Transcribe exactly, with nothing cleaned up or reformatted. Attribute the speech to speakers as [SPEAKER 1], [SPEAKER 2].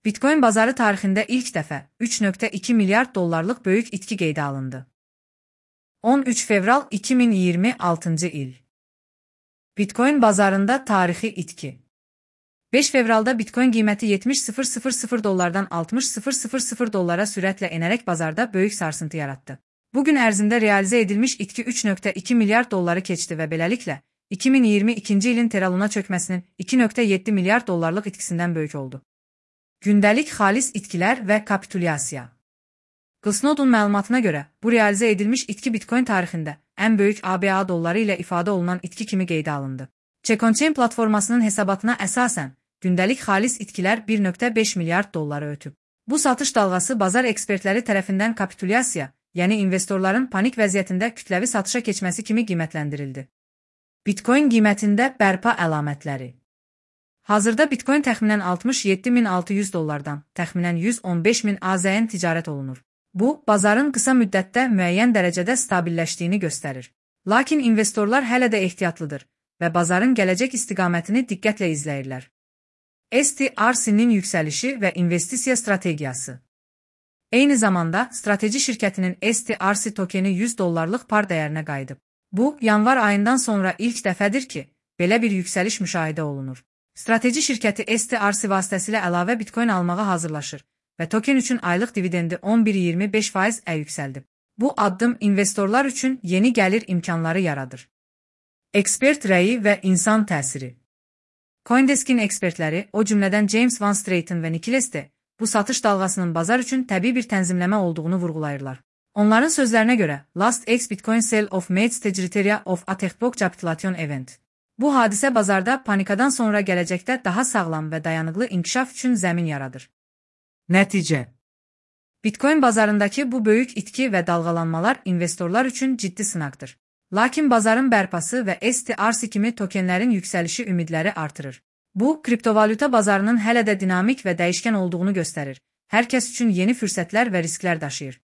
[SPEAKER 1] Bitcoin bazarı tarixində ilk dəfə üç nöqtə iki milyard dollarlıq böyük itki qeydə alındı. on üç fevral iki min iyirmi altıncı il. Bitcoin bazarında tarixi itki. beş fevralda Bitcoin qiyməti yetmiş min dollardan altmış min dollara sürətlə enərək bazarda böyük sarsıntı yaratdı. Bugün ərzində realizə edilmiş itki üç nöqtə iki milyard dolları keçdi və beləliklə iki min iyirmi ikinci ilin teraluna çökməsinin iki nöqtə yeddi milyard dollarlıq itkisindən böyük oldu. Gündəlik xalis itkilər və kapitulyasiya. Glassnode'un məlumatına görə, bu realizə edilmiş itki Bitcoin tarixində ən böyük A B A dolları ilə ifadə olunan itki kimi qeydə alındı. Check-on-Chain platformasının hesabatına əsasən, gündəlik xalis itkilər bir nöqtə beş milyard dolları ötüb. Bu satış dalğası bazar ekspertləri tərəfindən kapitulyasiya, yəni investorların panik vəziyyətində kütləvi satışa keçməsi kimi qiymətləndirildi. Bitcoin qiymətində bərpa əlamətləri. Hazırda Bitcoin təxminən altmış yeddi min altı yüz dollardan, təxminən yüz on beş min A Z N ticarət olunur. Bu, bazarın qısa müddətdə müəyyən dərəcədə stabilləşdiyini göstərir. Lakin investorlar hələ də ehtiyatlıdır və bazarın gələcək istiqamətini diqqətlə izləyirlər. S T R C-nin yüksəlişi və investisiya strategiyası. Eyni zamanda, strateji şirkətinin S T R C tokeni yüz dollarlıq par dəyərinə qayıdıb. Bu, yanvar ayından sonra ilk dəfədir ki, belə bir yüksəliş müşahidə olunur. Strateji şirkəti S T R C vasitəsilə əlavə Bitcoin almağa hazırlaşır və token üçün aylıq dividendi on bir iyirmi beş faiz-ə yüksəldib. Bu addım investorlar üçün yeni gəlir imkanları yaradır. Ekspert rəyi və insan təsiri. CoinDesk'in ekspertləri, o cümlədən James Van Straten və Nicholas de, bu satış dalğasının bazar üçün təbii bir tənzimləmə olduğunu vurğulayırlar. Onların sözlərinə görə, Last X Bitcoin Sell of Mates Tegritariya of Atechbok Capitulation Event. Bu hadisə bazarda panikadan sonra gələcəkdə daha sağlam və dayanıqlı inkişaf üçün zəmin yaradır. Nəticə. Bitcoin bazarındakı bu böyük itki və dalğalanmalar investorlar üçün ciddi sınaqdır. Lakin bazarın bərpası və S T R C kimi tokenlərin yüksəlişi ümidləri artırır. Bu, kriptovalyuta bazarının hələ də dinamik və dəyişkən olduğunu göstərir. Hər kəs üçün yeni fürsətlər və risklər daşıyır.